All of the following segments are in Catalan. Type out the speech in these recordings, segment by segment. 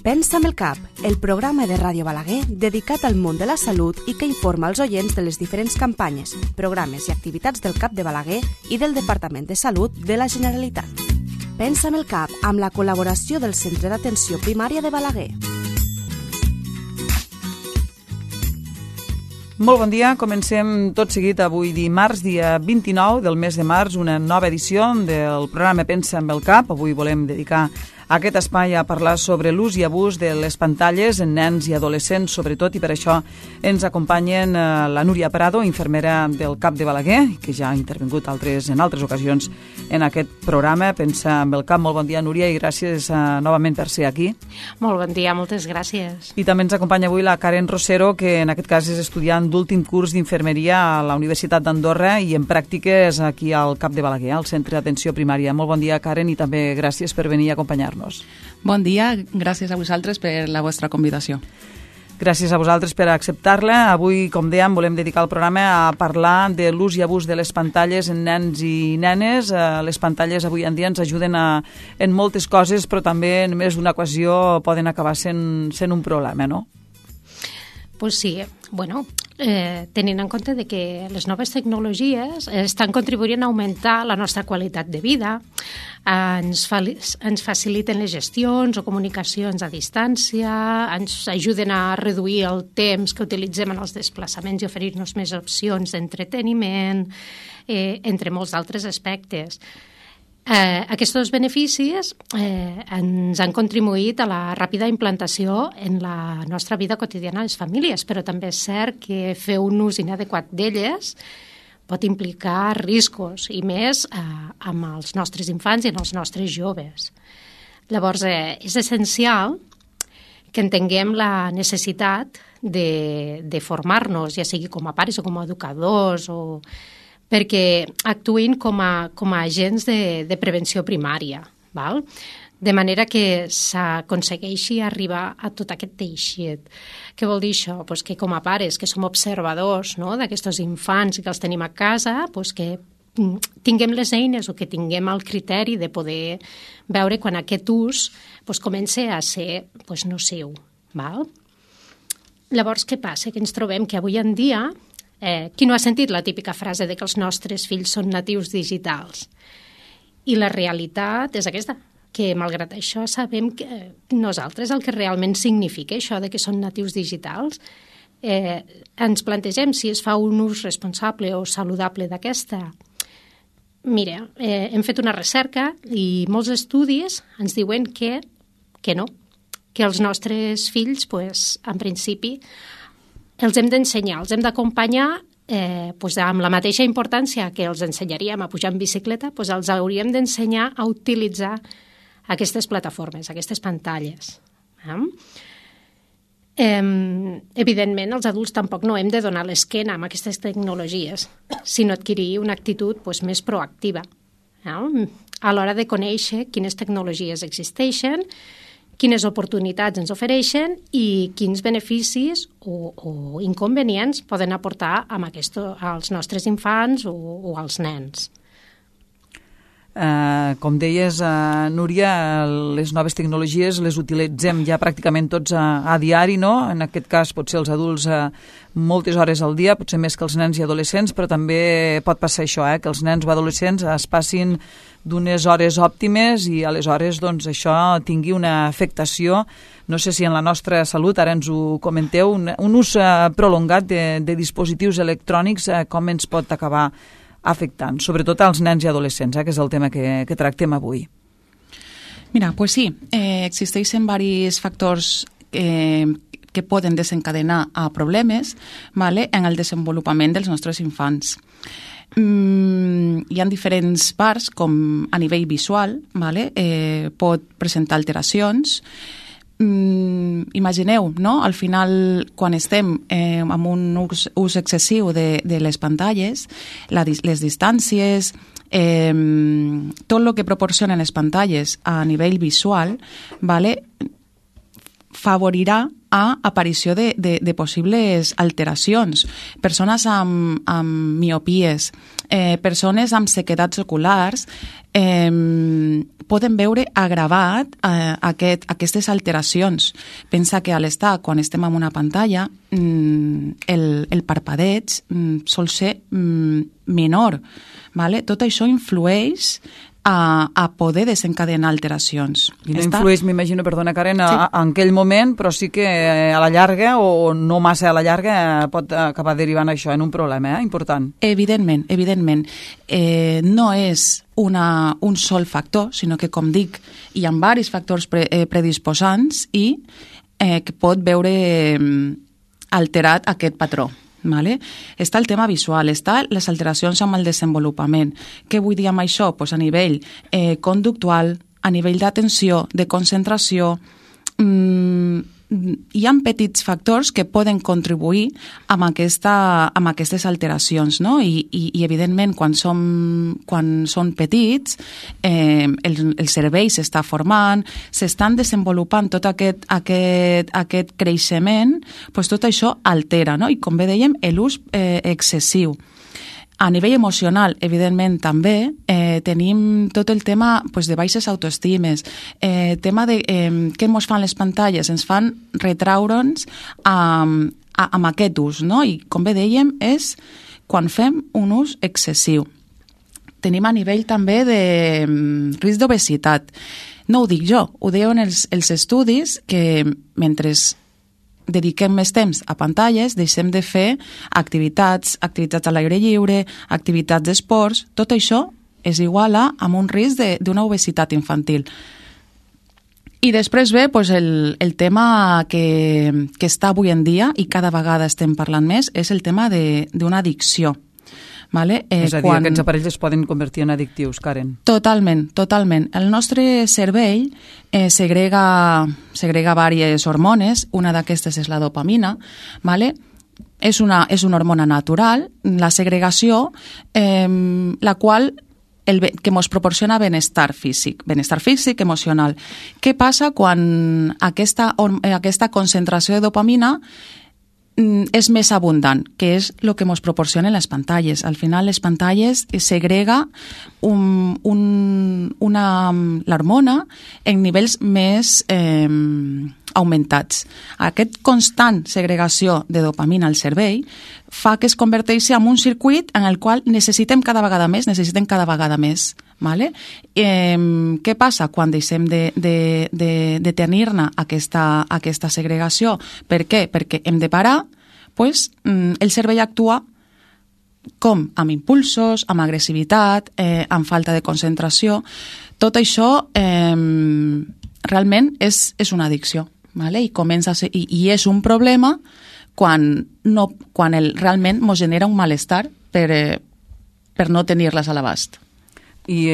Pensa amb el cap, el programa de Ràdio Balaguer dedicat al món de la salut i que informa els oients de les diferents campanyes, programes i activitats del CAP de Balaguer i del Departament de Salut de la Generalitat. Pensa amb el cap, amb la col·laboració del Centre d'Atenció Primària de Balaguer. Molt bon dia, comencem tot seguit avui dimarts, dia 29 del mes de març, una nova edició del programa Pensa amb el cap. Avui volem dedicar aquest espai a parlar sobre l'ús i abús de les pantalles en nens i adolescents, sobretot, i per això ens acompanyen la Núria Prado, infermera del CAP de Balaguer, que ja ha intervingut en altres ocasions en aquest programa. Pensa amb el cap. Molt bon dia, Núria, i gràcies novament per ser aquí. Molt bon dia, moltes gràcies. I també ens acompanya avui la Karen Rosero, que en aquest cas és estudiant d'últim curs d'infermeria a la Universitat d'Andorra i en pràctiques aquí al CAP de Balaguer, al Centre d'Atenció Primària. Molt bon dia, Karen, i també gràcies per venir a acompanyar-nos. Bon dia, gràcies a vosaltres per la vostra convidació. Gràcies a vosaltres per acceptar-la. Avui, com dèiem, volem dedicar el programa a parlar de l'ús i abús de les pantalles en nens i nenes. Les pantalles avui en dia ens ajuden en moltes coses, però també en més d'una ocasió poden acabar sent un problema, no? Pues sí, bueno, tenint en compte de que les noves tecnologies estan contribuint a augmentar la nostra qualitat de vida, ens faciliten les gestions o comunicacions a distància, ens ajuden a reduir el temps que utilitzem en els desplaçaments i oferir-nos més opcions d'entreteniment, entre molts altres aspectes. Aquests beneficis ens han contribuït a la ràpida implantació en la nostra vida quotidiana a les famílies, però també és cert que fer un ús inadequat d'elles pot implicar riscos, i més amb els nostres infants i amb els nostres joves. Llavors, és essencial que entenguem la necessitat de formar-nos, ja sigui com a pares o com a educadors, perquè actuïn com a agents de prevenció primària, val? De manera que s'aconsegueixi arribar a tot aquest teixit. Què vol dir això? Pues que com a pares, que som observadors, no?, d'aquests infants que els tenim a casa, pues que tinguem les eines o que tinguem el criteri de poder veure quan aquest ús pues, comença a ser pues, nociu. Val? Llavors, què passa? Que ens trobem que avui en dia qui no ha sentit la típica frase de que els nostres fills són natius digitals? I la realitat és aquesta, que malgrat això sabem que nosaltres el que realment significa això de que són natius digitals, ens plantegem si es fa un ús responsable o saludable d'aquesta. Mira, hem fet una recerca i molts estudis ens diuen que no, que els nostres fills, pues, en principi, els hem d'ensenyar, els hem d'acompanyar pues, amb la mateixa importància que els ensenyaríem a pujar en bicicleta, pues, els hauríem d'ensenyar a utilitzar aquestes plataformes, aquestes pantalles. Evidentment, els adults tampoc no hem de donar l'esquena amb aquestes tecnologies, sinó adquirir una actitud pues, més proactiva a l'hora de conèixer quines tecnologies existeixen, quines oportunitats ens ofereixen i quins beneficis o inconvenients poden aportar als nostres infants o als nens. Com deies, Núria, les noves tecnologies les utilitzem ja pràcticament tots a diari, no? En aquest cas potser els adults moltes hores al dia, potser més que els nens i adolescents, però també pot passar això, que els nens o adolescents es passin d'unes hores òptimes i aleshores doncs, això tingui una afectació, no sé si en la nostra salut, ara ens ho comenteu, un ús prolongat de dispositius electrònics, com ens pot acabar afectant, sobretot als nens i adolescents, que és el tema que tractem avui. Mira, pues sí, existeixen diversos factors que poden desencadenar a problemes, ¿vale?, en el desenvolupament dels nostres infants. Hi ha diferents parts, com a nivell visual, ¿vale?, pot presentar alteracions. Imagineu, no?, al final, quan estem amb un ús excessiu de les pantalles, les distàncies, tot el que proporcionen les pantalles a nivell visual, ¿vale?, favorirà a aparició de possibles alteracions. Persones amb miopies, persones amb sequedats oculars, poden veure agravat aquestes alteracions. Pensa que a l'estar, quan estem en una pantalla, el parpadeig sol ser menor. Vale? Tot això influeix a poder desencadenar alteracions. I no influeix, m'imagino, perdona Karen, en aquell moment, però sí que a la llarga, o no massa a la llarga, pot acabar derivant això en un problema important. Evidentment. No és un sol factor, sinó que, com dic, hi ha diversos factors predisposants i que pot veure alterat aquest patró. Vale? Està el tema visual, està les alteracions amb el desenvolupament. Què vull dir amb això? Pues a nivell conductual, a nivell d'atenció, de concentració, hi ha petits factors que poden contribuir amb aquestes alteracions, no? I evidentment, quan són petits, el cervell s'està formant, s'estan desenvolupant tot aquest creixement, doncs tot això altera, no? I com bé dèiem, l'ús excessiu. A nivell emocional, evidentment, també tenim tot el tema de baixes autoestimes, tema de què ens fan les pantalles, ens fan retraure'ns amb aquest ús, no? I com bé dèiem, és quan fem un ús excessiu. Tenim a nivell també de risc d'obesitat. No ho dic jo, ho diuen els estudis que mentre dediquem més temps a pantalles, deixem de fer activitats a l'aire lliure, activitats d'esports, tot això és igual amb un risc d'una obesitat infantil. I després ve el tema que està avui en dia i cada vegada estem parlant més, és el tema d'una addicció. Vale? És a dir, aquests aparells es poden convertir en addictius, Karen. Totalment. El nostre cervell segrega diverses hormones, una d'aquestes és la dopamina, vale? És una hormona natural, la segregació, la qual que ens proporciona benestar físic, emocional. Què passa quan aquesta concentració de dopamina és més abundant, que és el que ens proporcionen les pantalles. Al final, les pantalles segrega l'hormona en nivells més augmentats. Aquest constant segregació de dopamina al cervell fa que es converteixi en un circuit en el qual necessitem cada vegada més. Vale? Què passa quan deixem de tenir-ne aquesta segregació? Per què? Perquè hem de parar, el cervell actua com amb impulsos, amb agressivitat, amb falta de concentració. Tot això realment és una addicció, vale? I comença a ser, i és un problema quan realment ens genera un malestar per no tenir-les a l'abast. I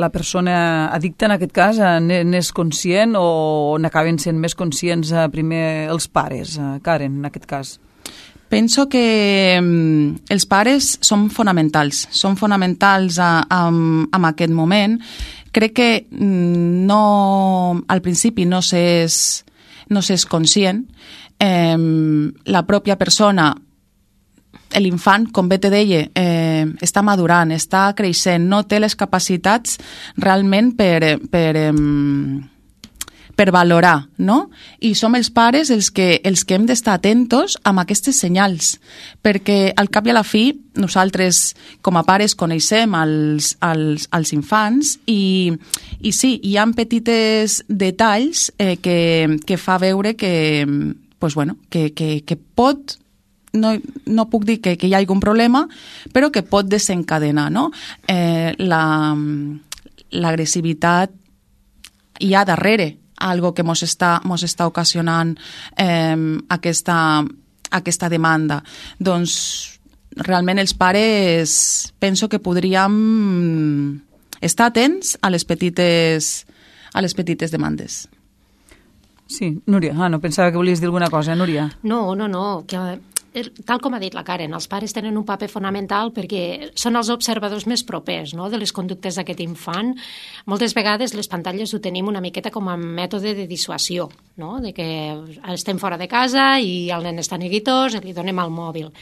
la persona addicta en aquest cas n'és conscient o n'acaben sent més conscients primer els pares, Karen, en aquest cas? Penso que els pares són fonamentals en aquest moment. Crec que al principi no s'és conscient. La pròpia persona, l'infant, com bé te deia, està madurant, està creixent, no té les capacitats realment per valorar, no? I som els pares els que hem d'estar atentos amb aquestes senyals, perquè al cap i a la fi nosaltres com a pares coneixem els infants i sí, hi ha petites detalls que fa veure que pot, no puc dir que hi hagi un problema, però que pot desencadenar, no? L'agressivitat hi ha darrere algo que mos està ocasionant aquesta demanda. Doncs realment els pares penso que podríem estar atents a les petites demandes. Sí, Núria. No, pensava que volies dir alguna cosa, Núria. No, que tal com ha dit la Karen, els pares tenen un paper fonamental perquè són els observadors més propers, no?, de les conductes d'aquest infant. Moltes vegades les pantalles ho tenim una miqueta com a mètode de dissuasió, no? De que estem fora de casa i el nen està neguitós i li donem el mòbil.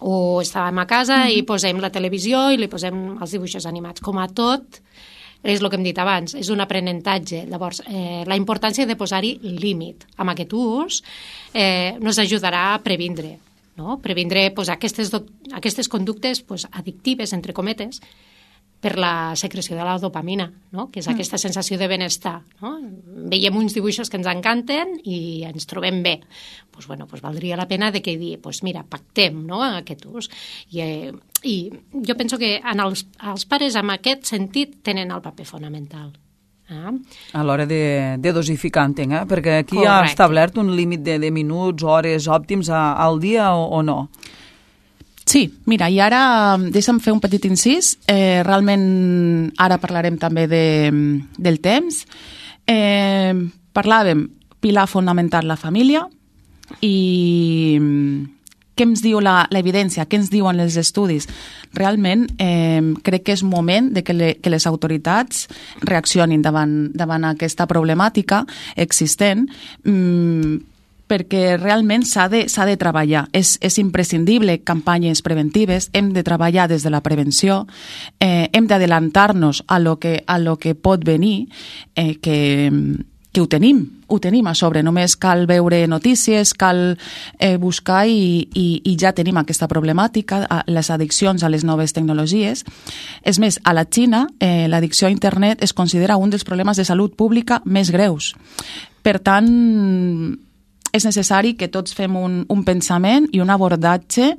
O estàvem a casa i posem la televisió i li posem els dibuixos animats. Com a tot, és el que hem dit abans, és un aprenentatge. Llavors, la importància de posar-hi límit amb aquest ús nos ajudarà a previndre, no? Previndre aquestes conductes addictives, entre cometes, per la secreció de la dopamina, no? Que és aquesta sensació de benestar. No? Veiem uns dibuixos que ens encanten i ens trobem bé. Valdria la pena de que dir, mira, pactem, no? Aquest ús. I jo penso que els pares en aquest sentit tenen el paper fonamental. A l'hora de dosificar, entenc, perquè aquí hi ha establert un límit de minuts, hores òptims al dia o no? Sí, mira, i ara deixa'm fer un petit incís. Realment ara parlarem també del temps. Parlàvem pilar fonamental la família i què ens diu l'evidència, què ens diuen els estudis. Realment crec que és moment de que les autoritats reaccionin davant aquesta problemàtica existent, perquè realment s'ha de treballar. És imprescindible campanyes preventives, hem de treballar des de la prevenció, hem d'adelantar-nos a lo que pot venir, que ho tenim a sobre. Només cal veure notícies, cal buscar i ja tenim aquesta problemàtica, les addiccions a les noves tecnologies. És més, a la Xina, l'addicció a internet es considera un dels problemes de salut pública més greus. Per tant, és necessari que tots fem un pensament i un abordatge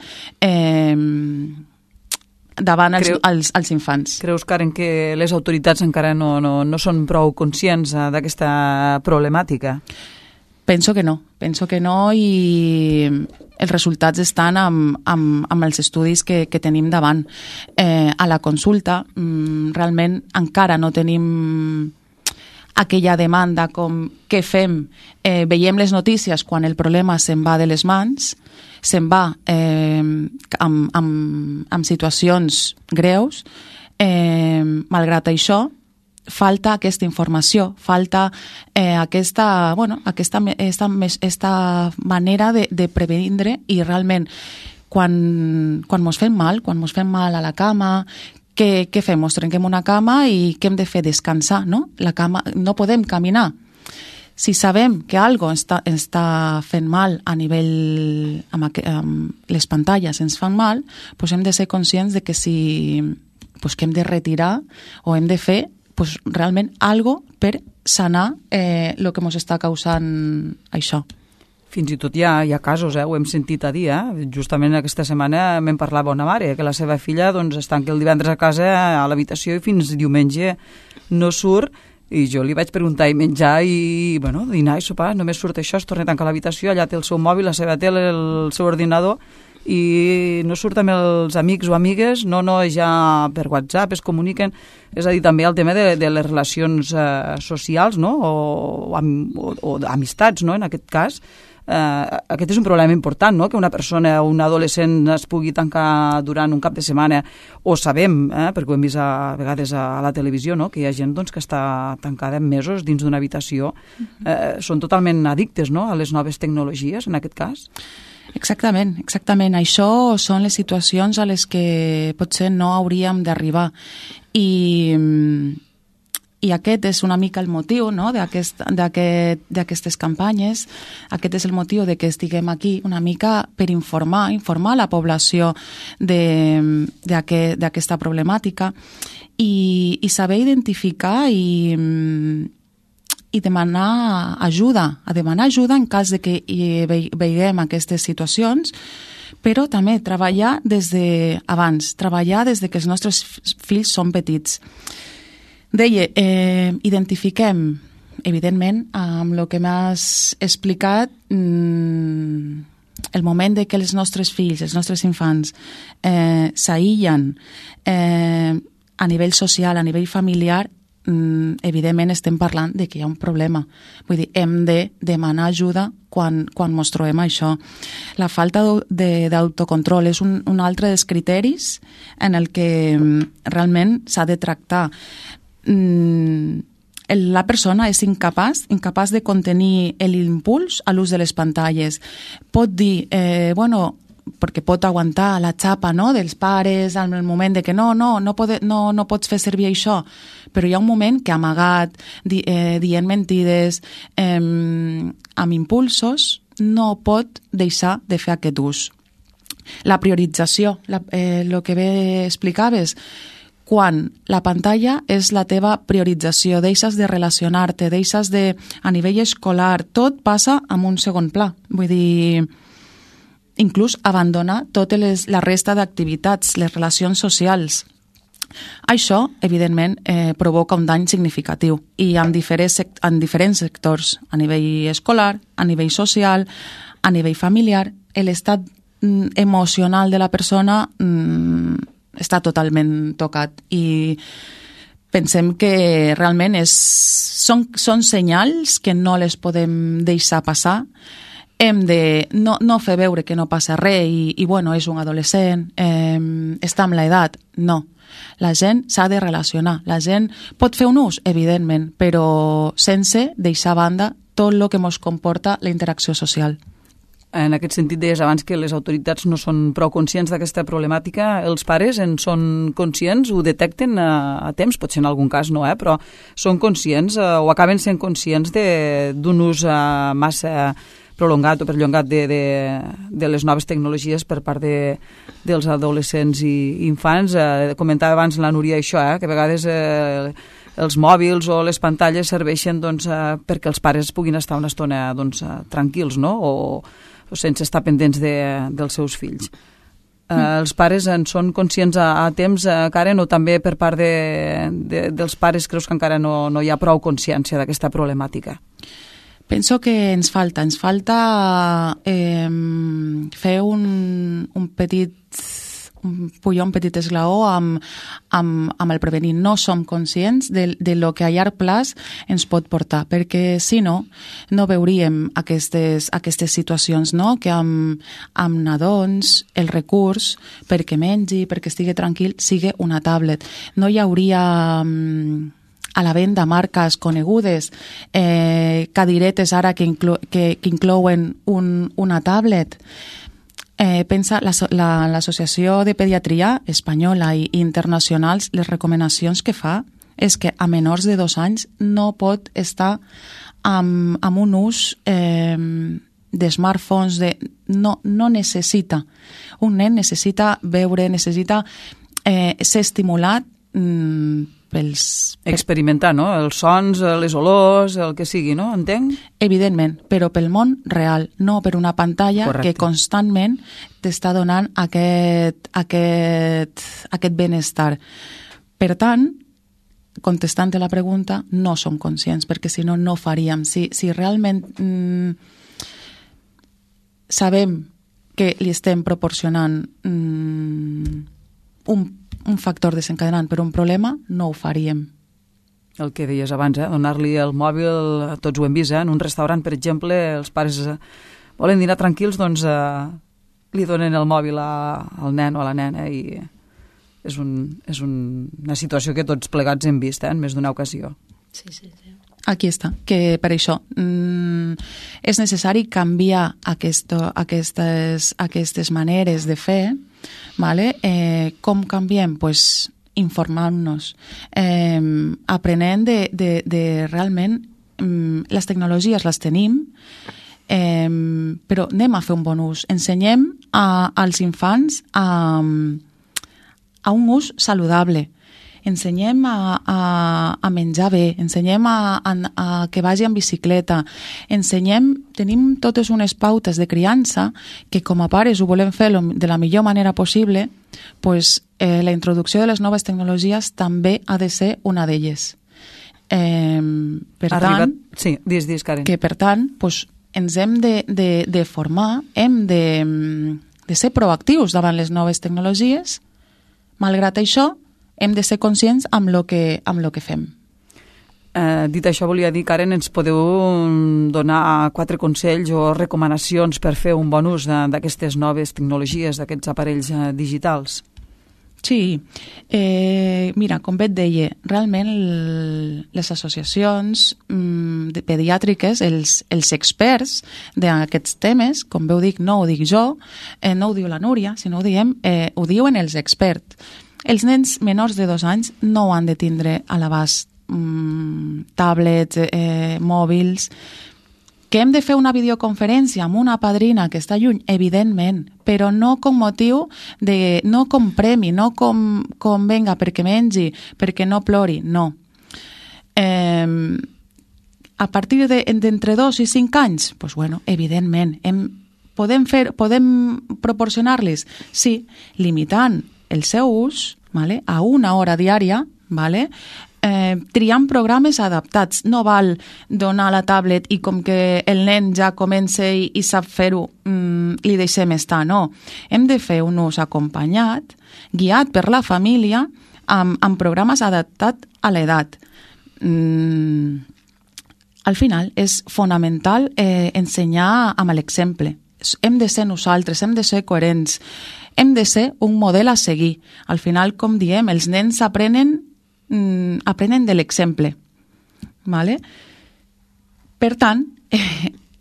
davant els infants. Creus, Karen, que les autoritats encara no són prou conscients d'aquesta problemàtica? Penso que no i els resultats estan amb els estudis que tenim davant. A la consulta realment encara no tenim aquella demanda com què fem. Veiem les notícies quan el problema se'n va de les mans, se'n va amb situacions greus. Malgrat això, falta aquesta informació, falta aquesta manera de previndre i realment quan mos fem mal a la cama, què fem? Ens trenquem una cama i què hem de fer? Descansar, no? La cama, no podem caminar. Si sabem que algo està fent mal a nivell amb les pantalles ens fan mal, doncs hem de ser conscients de que que hem de retirar o hem de fer realment algo per sanar el que ens està causant això. Fins i tot hi ha casos, ho hem sentit a dir, justament aquesta setmana me'n parlava una mare, que la seva filla es tanca el divendres a casa a l'habitació i fins diumenge no surt, i jo li vaig preguntar i menjar i dinar i sopar, només surt això, es torna a tancar a l'habitació, allà té el seu mòbil, la seva tele, el seu ordinador, i no surt amb els amics o amigues, no, ja per WhatsApp es comuniquen, és a dir, també el tema de les relacions socials, no? o d'amistats, no? En aquest cas. Aquest és un problema important, no? Que una persona o un adolescent es pugui tancar durant un cap de setmana, o sabem, perquè ho hem vist a vegades a la televisió, no? Que hi ha gent que està tancada mesos dins d'una habitació. Són totalment addictes, no? A les noves tecnologies, en aquest cas. Exactament. Això són les situacions a les que potser no hauríem d'arribar. I aquest és una mica el motiu, no? d'aquestes campanyes. Aquest és el motiu de que estiguem aquí una mica per informar la població d'aquesta problemàtica i saber identificar i demanar ajuda, en cas de que veiem aquestes situacions, però també treballar des que els nostres fills són petits. Deia, identifiquem, evidentment, amb el que m'has explicat, el moment de que els nostres fills, els nostres infants, s'aïllen a nivell social, a nivell familiar, evidentment estem parlant de que hi ha un problema. Vull dir, hem de demanar ajuda quan ens trobem això. La falta d'autocontrol és un altre dels criteris en el que realment s'ha de tractar. la persona és incapaç de contenir l'impuls a l'ús de les pantalles. Pot dir, perquè pot aguantar la xapa, no?, dels pares en el moment de que no pots fer servir això, però hi ha un moment que amagat, dient mentides, amb impulsos, no pot deixar de fer aquest ús. La priorització, el que bé explicaves, quan la pantalla és la teva priorització, deixes de relacionar-te, deixes de, a nivell escolar, tot passa en un segon pla. Vull dir, inclús abandonar tota la resta d'activitats, les relacions socials. Això, evidentment, provoca un dany significatiu i en diferents sectors, a nivell escolar, a nivell social, a nivell familiar, l'estat emocional de la persona està totalment tocat i pensem que realment són senyals que no les podem deixar passar. Hem de no fer veure que no passa res i és un adolescent, està amb l'edat. No. La gent s'ha de relacionar. La gent pot fer un ús, evidentment, però sense deixar a banda tot el que ens comporta la interacció social. En aquest sentit, deies abans que les autoritats no són prou conscients d'aquesta problemàtica. Els pares en són conscients, ho detecten a temps, potser en algun cas no, però són conscients o acaben sent conscients d'un ús massa prolongat o perllongat de les noves tecnologies per part dels adolescents i infants. Comentava abans la Núria això, que a vegades els mòbils o les pantalles serveixen perquè els pares puguin estar una estona tranquils, no?, o sense estar pendents dels seus fills. Els pares en són conscients a temps, Karen, o també per part dels pares creus que encara no hi ha prou consciència d'aquesta problemàtica? Penso que ens falta fer un petit esglaó amb el prevenir. No som conscients de lo que a llarg plaç ens pot portar, perquè si no veuríem aquestes situacions, no?, que amb nadons el recurs perquè mengi, perquè estigui tranquil, sigui una tablet. No hi hauria a la venda marques conegudes, cadiretes ara que inclouen una tablet. Pensa l'Associació de Pediatria Espanyola i internacionals, les recomanacions que fa és que a menors de 2 anys no pot estar amb un ús de smartphones, no necessita. Un nen necessita veure, necessita ser estimulat experimentar, no?, els sons, les olors, el que sigui, no?, entenc? Evidentment, però pel món real, no per una pantalla. Correcte. Que constantment t'està donant aquest benestar. Per tant, contestant a la pregunta, no som conscients, perquè si no faríem. Si realment sabem que li estem proporcionant un factor desencadenant per un problema, no ho faríem. El que deies abans, donar-li el mòbil, tots ho hem vist, en un restaurant, per exemple, els pares volen dinar tranquils, doncs li donen el mòbil al nen o a la nena i és una situació que tots plegats hem vist en més d'una ocasió. Sí. Aquí està, que per això és necessari canviar aquestes maneres de fer. Vale? Com canviem? Pues informant-nos, aprenent de realment les tecnologies les tenim, però anem a fer un bon ús. Ensenyem als infants a un ús saludable. Ensenyem a menjar bé, ensenyem a que vagi en bicicleta, tenim totes unes pautes de criança que com a pares ho volem fer de la millor manera possible, pues, la introducció de les noves tecnologies també ha de ser una d'elles. Sí, dis, Karen. Que per tant, pues, ens hem de formar, hem de ser proactius davant les noves tecnologies. Malgrat això, hem de ser conscients amb lo que fem. Dit això, volia dir, Karen, ens podeu donar 4 consells o recomanacions per fer un bon ús d'aquestes noves tecnologies, d'aquests aparells digitals? Sí, mira, com bé et deia, realment les associacions pediàtriques, els experts d'aquests temes, com bé ho dic, no ho dic jo, no ho diu la Núria, sinó ho diuen els experts. Els nens menors de 2 anys no han de tindre a l'abast tablets, mòbils. Que hem de fer una videoconferència amb una padrina que està lluny, evidentment, però no com motiu no com premi, no com venga, perquè mengi, perquè no plori, no. A partir d'entre 2 i 5 anys, doncs, bueno, evidentment, podem proporcionar-los, sí, limitant el seu ús, vale, a 1 hora diària, vale, triant programes adaptats. No val donar la tablet i com que el nen ja comença i sap fer-ho, li deixem estar, no. Hem de fer un ús acompanyat, guiat per la família, amb programes adaptats a l'edat. Al final és fonamental ensenyar amb l'exemple. Hem de ser nosaltres, hem de ser coherents, hem de ser un model a seguir. Al final, com diem, els nens aprenen de l'exemple. Vale? Per tant,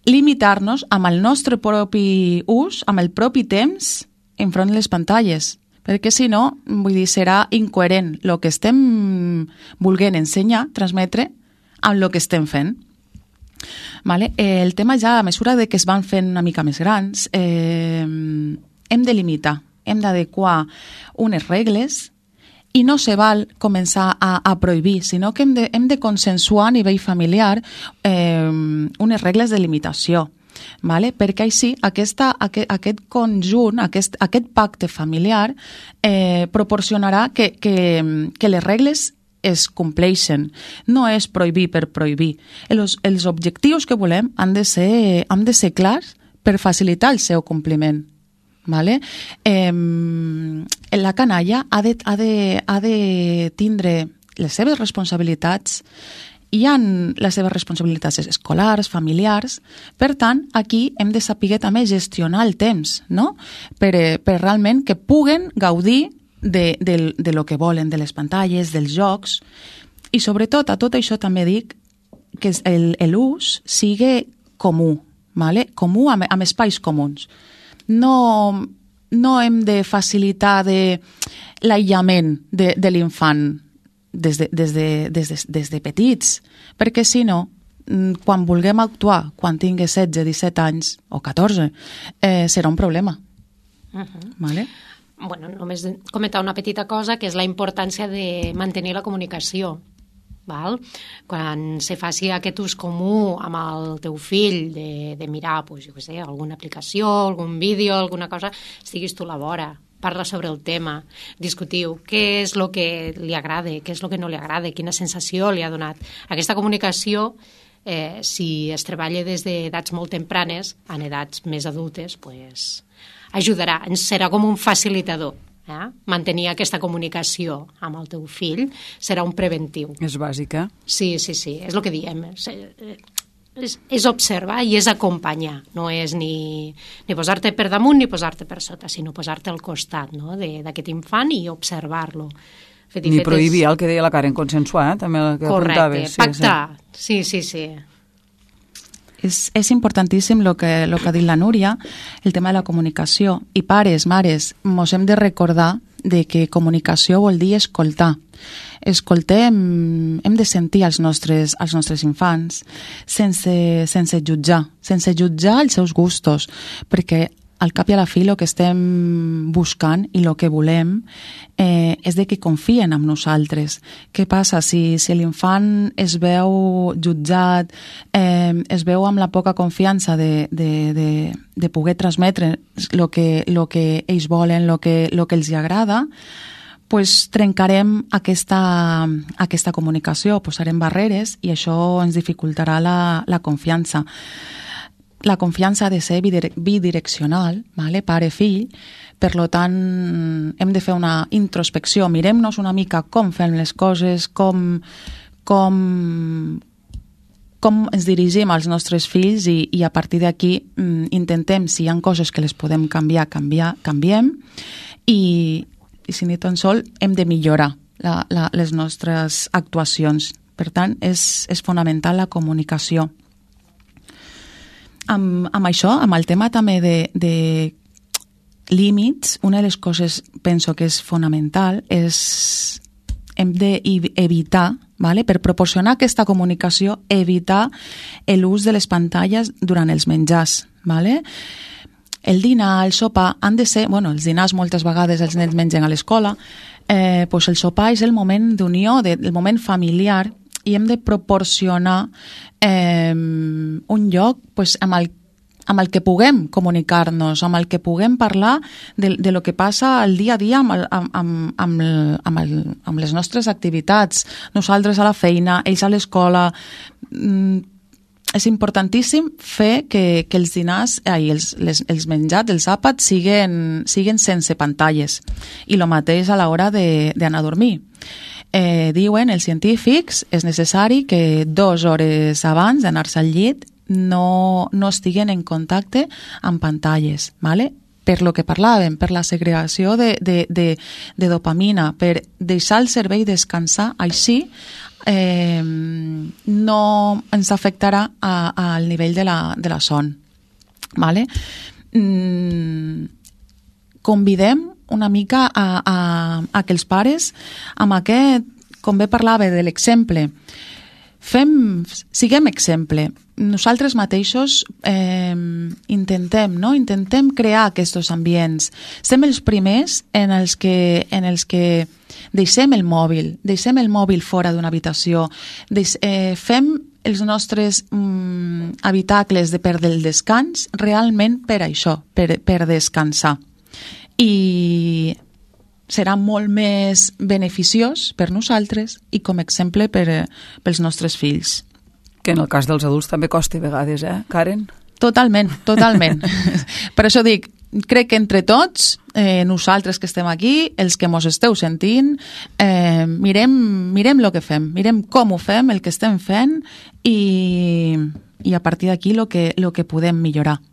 limitar-nos amb el nostre propi ús, amb el propi temps, enfront de les pantalles. Perquè si no, vull dir, serà incoherent el que estem volent ensenyar, transmetre, amb el que estem fent. Vale? El tema ja, a mesura que es van fent una mica més grans, hem de limitar, hem d'adequar unes regles i no se val començar a prohibir, sinó que hem de consensuar a nivell familiar unes regles de limitació, vale? Perquè així aquest conjunt, aquest pacte familiar proporcionarà que les regles es compleixen. No és prohibir per prohibir. Els objectius que volem han de ser clars per facilitar el seu compliment. Vale? La canalla ha de tindre les seves responsabilitats. Hi ha les seves responsabilitats escolars, familiars. Per tant, aquí hem de saber també gestionar el temps, no? Per realment que puguen gaudir de lo que volen, de les pantalles, dels jocs. I sobretot, a tot això també dic que l'ús sigui comú, vale? Comú amb espais comuns. No hem de facilitar l'aïllament de l'infant des de petits, perquè si no, quan vulguem actuar, quan tingui 16, 17 anys o 14, serà un problema. Vale? Bueno, només comentar una petita cosa, que és la importància de mantenir la comunicació. Val? Quan se faci aquest ús comú amb el teu fill de mirar, pues, jo què sé, alguna aplicació, algun vídeo, alguna cosa, estiguis tu a la vora, parla sobre el tema, discutiu què és el que li agrada, què és el que no li agrada, quina sensació li ha donat. Aquesta comunicació, si es treballa des d'edats molt tempranes, en edats més adultes, pues, ajudarà, serà com un facilitador. Mantenir aquesta comunicació amb el teu fill serà un preventiu. És bàsica. Sí, és el que diem. És observar i és acompanyar. No és ni posar-te per damunt ni posar-te per sota, sinó posar-te al costat, no? d'aquest infant i observar-lo. Ni prohibir, el que deia la Karen, consensuar, també el que apuntaves. Correcte, pactar. Sí. És importantíssim el que ha dit la Núria, el tema de la comunicació. I pares, mares, mos hem de recordar de que comunicació vol dir escoltar. Escoltem, hem de sentir els nostres infants sense jutjar els seus gustos, perquè al cap i a la fi el que estem buscant i el que volem és de que confien en nosaltres. Què passa si l'infant es veu jutjat, es veu amb la poca confiança de poder transmetre el que ells volen, el que els agrada, pues trencarem aquesta comunicació, posarem barreres i això ens dificultarà la confiança. La confiança ha de ser bidireccional, vale? Pare-fill, per tant hem de fer una introspecció, mirem-nos una mica com fem les coses, com ens dirigim als nostres fills i a partir d'aquí intentem, si hi ha coses que les podem canviar, canviem i si ni tan sol hem de millorar les nostres actuacions. Per tant, és fonamental la comunicació. Amb això, amb el tema també de límits, una de les coses penso que és fonamental és hem d'evitar, vale? Per proporcionar aquesta comunicació, evitar l'ús de les pantalles durant els menjars. Vale? El dinar, el sopar, han de ser... Bueno, els dinars moltes vegades els nens mengen a l'escola, pues el sopar és el moment d'unió, el moment familiar, i hem de proporcionar un lloc pues, amb el que puguem comunicar-nos, amb el que puguem parlar de lo que passa al dia a dia amb les nostres activitats. Nosaltres a la feina, ells a l'escola... És importantíssim fer que els dinars, els menjats, els àpats, siguin sense pantalles. I el mateix a l'hora d'anar a dormir. Diuen els científics, és necessari que 2 hores abans d'anar-se al llit no estiguen en contacte amb pantalles, ¿vale? Per lo que parlàvem, per la segregació de dopamina, per deixar el cervell descansar, així no ens afectarà al nivell de la son. ¿Vale? Convidem una mica a que els pares, amb aquest, com bé parlava de l'exemple, siguem exemple. Nosaltres mateixos intentem crear aquests ambients. Som els primers en els que deixem el mòbil fora d'una habitació, fem els nostres habitacles per del descans realment per això, per descansar. I serà molt més beneficiós per nosaltres i com a exemple pels nostres fills. Que en el cas dels adults també costa a vegades, Karen? Totalment. Per això dic, crec que entre tots, nosaltres que estem aquí, els que mos esteu sentint, mirem el que fem, mirem com ho fem, el que estem fent i a partir d'aquí el que podem millorar.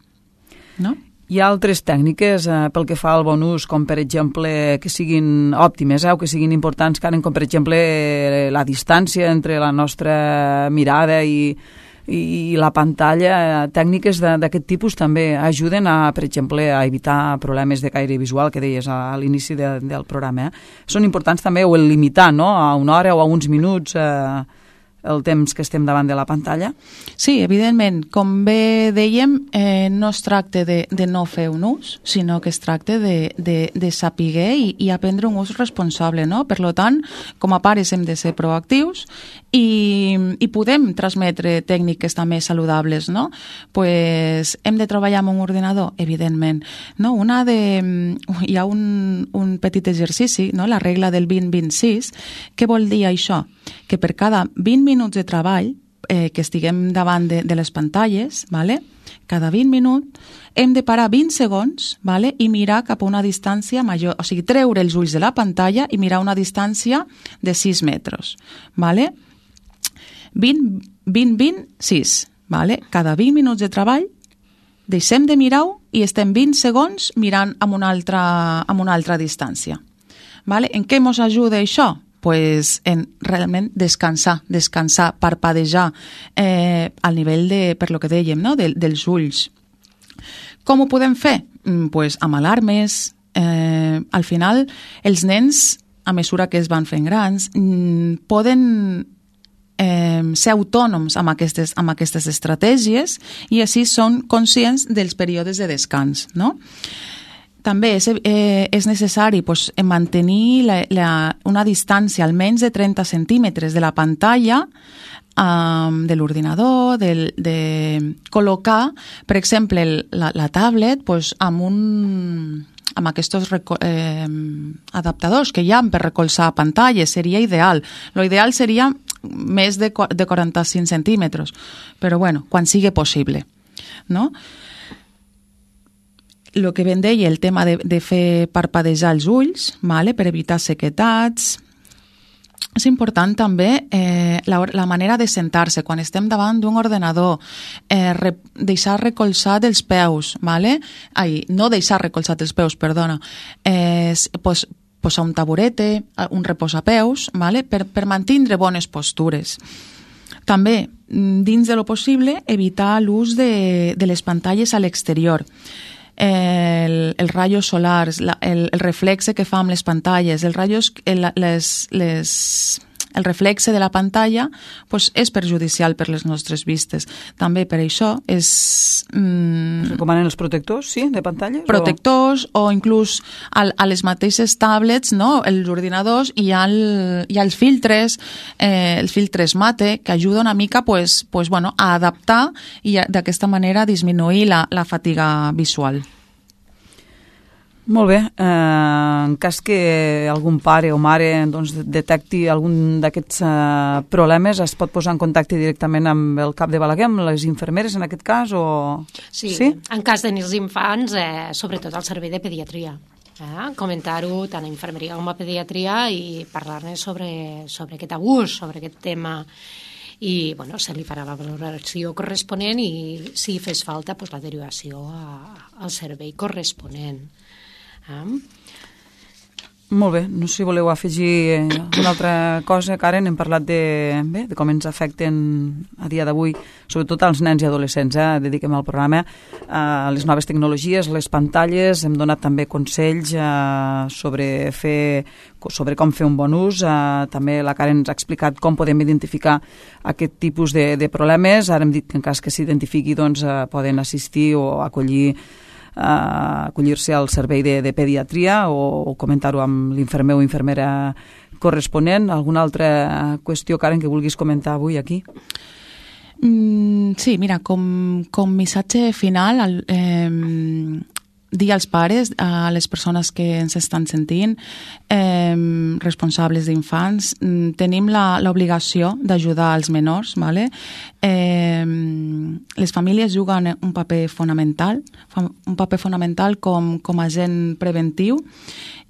No? Hi ha altres tècniques pel que fa al bon ús, com per exemple que siguin òptimes o que siguin importants, Karen, com per exemple la distància entre la nostra mirada i la pantalla. Tècniques d'aquest tipus també ajuden per exemple, a evitar problemes de caire visual que deies a l'inici del programa. Són importants també o el limitar, no?, a 1 hora o a uns minuts el temps que estem davant de la pantalla? Sí, evidentment. Com bé dèiem, no es tracta de no fer un ús, sinó que es tracta de saber i aprendre un ús responsable, no? Per tant, com a pares hem de ser proactius i podem transmetre tècniques també saludables, no? Pues hem de treballar amb un ordinador, evidentment. No? Hi ha un petit exercici, no? La regla del 20-26. Què vol dir això? Que per cada 20 minuts de treball que estiguem davant de les pantalles, ¿vale? Cada 20 minuts hem de parar 20 segons, ¿vale? I mirar cap a una distància major, o sigui, treure els ulls de la pantalla i mirar una distància de 6 metres. ¿Vale? 20-6, ¿vale? Cada 20 minuts de treball deixem de mirar-ho i estem 20 segons mirant amb una altra distància. ¿Vale? En què ens ajuda això? Pues en realment descansar, parpadejar al nivell per lo que dèiem, no? dels ulls. Com ho podem fer? Pues amb alarmes. Al final, els nens, a mesura que es van fent grans, poden ser autònoms amb aquestes estratègies i així són conscients dels períodes de descans, no? També és necessari mantenir una distància almenys de 30 centímetres de la pantalla de l'ordinador, de col·locar, per exemple, la tablet amb aquests adaptadors que hi ha per recolzar pantalles. Seria ideal. L'ideal seria més de 45 centímetres, però bueno, quan sigui possible, no? El que ben deia, el tema de fer parpadejar els ulls, vale? Per evitar sequetats. És important també la manera de sentar-se. Quan estem davant d'un ordenador, deixar recolzat els peus, vale? No deixar recolzat els peus, perdona. posar un taburete, un reposapeus, vale? per mantindre bones postures. També, dins de lo possible, evitar l'ús de les pantalles a l'exterior. Els rajos solars, el reflexe que fa amb les pantalles, el reflexe de la pantalla és perjudicial per les nostres vistes. També per això recomanen els protectors, sí, de pantalles? Protectors o inclús a les mateixes tablets, no? Els ordinadors, hi ha els filtres mate, que ajuda una mica a adaptar i d'aquesta manera disminuir la fatiga visual. Molt bé. En cas que algun pare o mare detecti algun d'aquests problemes, es pot posar en contacte directament amb el CAP de Balaguer, amb les infermeres en aquest cas? Sí, en cas de nens infants, sobretot al servei de pediatria. Comentar-ho tant a infermeria com a pediatria i parlar-ne sobre aquest abús, sobre aquest tema. I se li farà la valoració corresponent i si fes falta la derivació al servei corresponent. Molt bé, no sé si voleu afegir una altra cosa, Karen. Hem parlat de com ens afecten a dia d'avui, sobretot als nens i adolescents, dediquem al programa a les noves tecnologies, les pantalles. Hem donat també consells sobre com fer un bon ús. També la Karen ens ha explicat com podem identificar aquest tipus de problemes. Ara hem dit que en cas que s'identifiqui poden assistir o acollir-se al servei de pediatria o comentar-ho amb l'infermer o infermera corresponent. Alguna altra qüestió, Karen, que vulguis comentar avui aquí? Sí, mira, com missatge final, dir als pares, a les persones que ens estan sentint, responsables d'infants, tenim l'obligació d'ajudar els menors, ¿vale? Les famílies juguen un paper fonamental com a agent preventiu,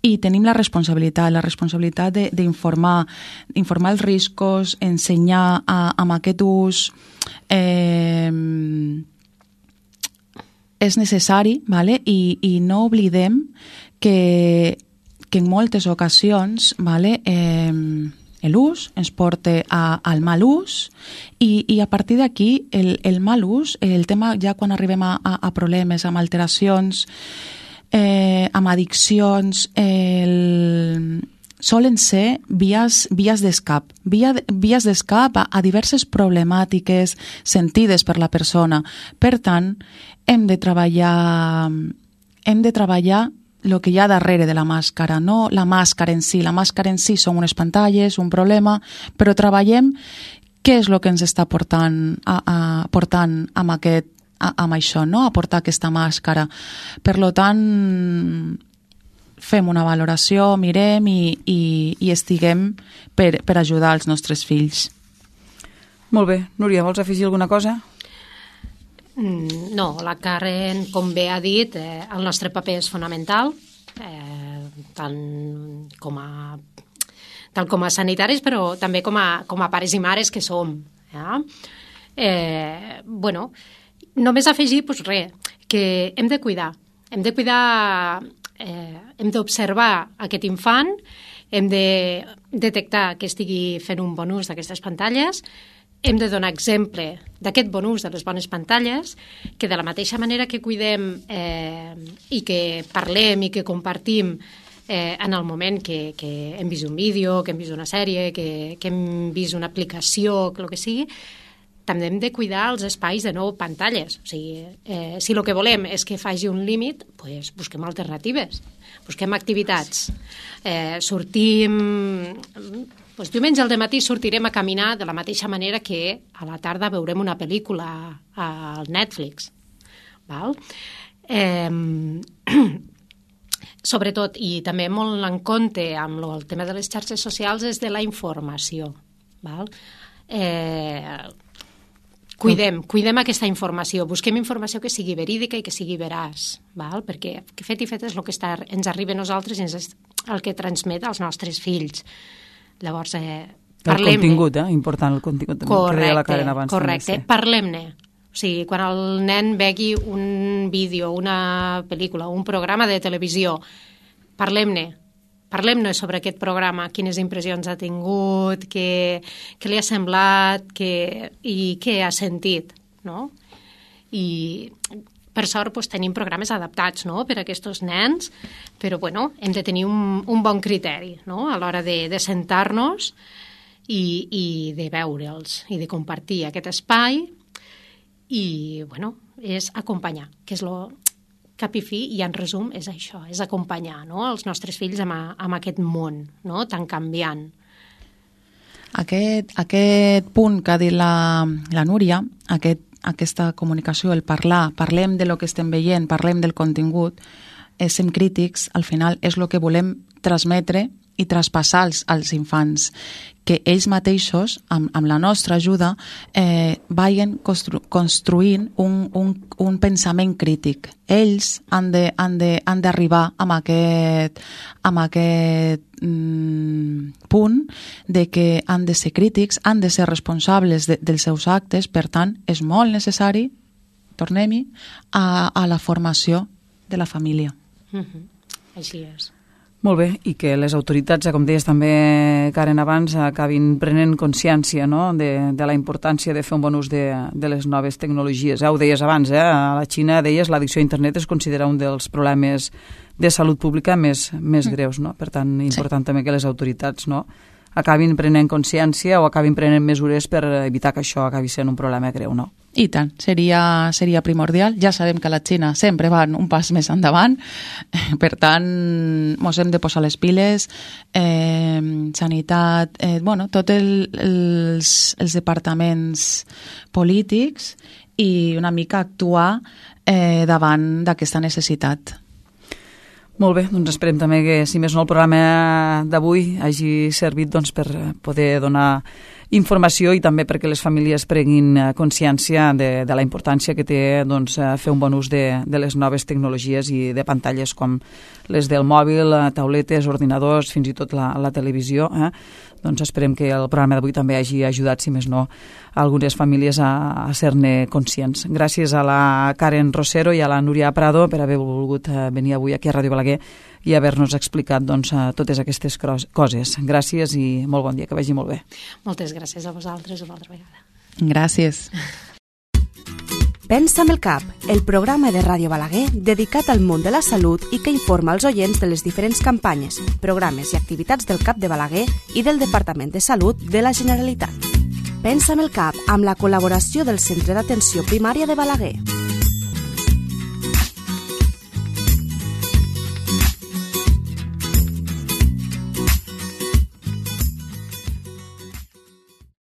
i tenim la responsabilitat d'informar els riscos, ensenyar amb aquest ús. És necessari, ¿vale? I no oblidem que en moltes ocasions, ¿vale? L'ús ens porta al mal ús i a partir d'aquí el mal ús, el tema ja quan arribem a problemes, amb alteracions, amb addiccions, solen ser vies d'escap a diverses problemàtiques sentides per la persona. Per tant, hem de treballar el que hi ha darrere de la màscara, no la màscara en si. La màscara en si són unes pantalles, un problema, però treballem què és el que ens està portant amb això, no? A portar aquesta màscara. Per tant, fem una valoració, mirem i estiguem per ajudar els nostres fills. Molt bé. Núria, vols afegir alguna cosa? No, la Karen, com bé ha dit, el nostre paper és fonamental, tant com a sanitaris, però també com a pares i mares que som. Només afegir, que hem de cuidar, hem d'observar aquest infant, hem de detectar que estigui fent un bon ús d'aquestes pantalles, hem de donar exemple d'aquest bon ús de les bones pantalles, que de la mateixa manera que cuidem i que parlem i que compartim en el moment que hem vist un vídeo, que hem vist una sèrie, que hem vist una aplicació, el que sigui, també hem de cuidar els espais de no pantalles. O sigui, si el que volem és que faci un límit, doncs busquem alternatives, busquem activitats. Diumenge al dematí sortirem a caminar de la mateixa manera que a la tarda veurem una pel·lícula al Netflix. Val? Sobretot, i també molt en compte amb el tema de les xarxes socials, és de la informació. Val? Cuidem aquesta informació, busquem informació que sigui verídica i que sigui veraç, val? Perquè fet i fet és el que ens arriba a nosaltres i és el que transmet als nostres fills. Llavors, parlem-ne. El contingut, important, el contingut també, que deia la Karen abans. Correcte, parlem-ne. O sigui, quan el nen vegi un vídeo, una pel·lícula, un programa de televisió, parlem-ne. parlem-ne sobre aquest programa, quines impressions ha tingut, què li ha semblat i què ha sentit, no? I per sort tenim programes adaptats, no?, per a aquests nens, però hem de tenir un bon criteri, no?, a l'hora de sentar-nos i de veure'ls i de compartir aquest espai i, és acompanyar, que és cap i fi, i en resum és això, és acompanyar, no?, els nostres fills amb aquest món, no?, tan canviant. Aquest punt que ha dit la Núria, aquesta comunicació, el parlem de lo que estem veient, parlem del contingut, som crítics, al final és el que volem transmetre i traspassar als infants, que ells mateixos, amb la nostra ajuda, vagin construint un pensament crític. Ells han d'arribar amb aquest punt de que han de ser crítics, han de ser responsables dels seus actes, per tant, és molt necessari, tornem-hi, a la formació de la família. Així és. Molt bé, i que les autoritats, com deies també, Karen, abans, acabin prenent consciència, no?, de la importància de fer un bon ús de les noves tecnologies. Ho deies abans, a la Xina, deies, l'addicció a internet es considera un dels problemes de salut pública més greus, no? Per tant, important també que les autoritats, no?, acabin prenent consciència o acabin prenent mesures per evitar que això acabi sent un problema greu, no? I tant, seria primordial. Ja sabem que la Xina sempre van un pas més endavant, per tant, ens hem de posar les piles, sanitat, tots els departaments polítics i una mica actuar davant d'aquesta necessitat. Molt bé, doncs esperem també que, si més no, el programa d'avui hagi servit per poder donar informació i també perquè les famílies prenguin consciència de la importància que té fer un bon ús de les noves tecnologies i de pantalles com les del mòbil, tauletes, ordinadors, fins i tot la televisió. Doncs esperem que el programa d'avui també hagi ajudat, si més no, a algunes famílies a ser-ne conscients. Gràcies a la Karen Rosero i a la Núria Prado per haver volgut venir avui aquí a Ràdio Balaguer i haver-nos explicat totes aquestes coses. Gràcies i molt bon dia, que vagi molt bé. Moltes gràcies a vosaltres una altra vegada. Gràcies. Pensa amb el cap, el programa de Ràdio Balaguer dedicat al món de la salut i que informa els oients de les diferents campanyes, programes i activitats del CAP de Balaguer i del Departament de Salut de la Generalitat. Pensa amb el cap, amb la col·laboració del Centre d'Atenció Primària de Balaguer.